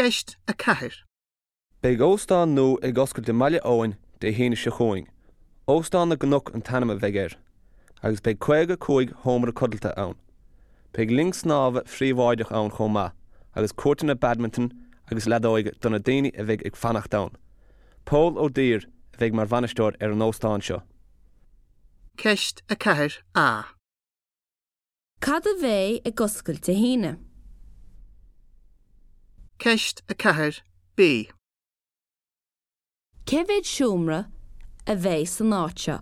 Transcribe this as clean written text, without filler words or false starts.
Ceist 4. Beidh óstán nua ag oscailt i mBaile Eoin Dé hAoine seo chugainn. Óstán na gCnoc an t-ainm a bheidh air, agus beidh 55 sheomra codlata ann. Beidh linn snámha phríobháideach ann chomh maith, agus cúirteanna badminton agus leadóige do na daoine a bheidh ag fanacht ann. Pól Ó Duibhir a bheidh mar bhainisteoir ar an óstán seo. Ceist 4A. Cad a bheidh ag oscailt Dé hAoine? Ceist 4B. Cé mhéad seomra a bheidh san áit seo?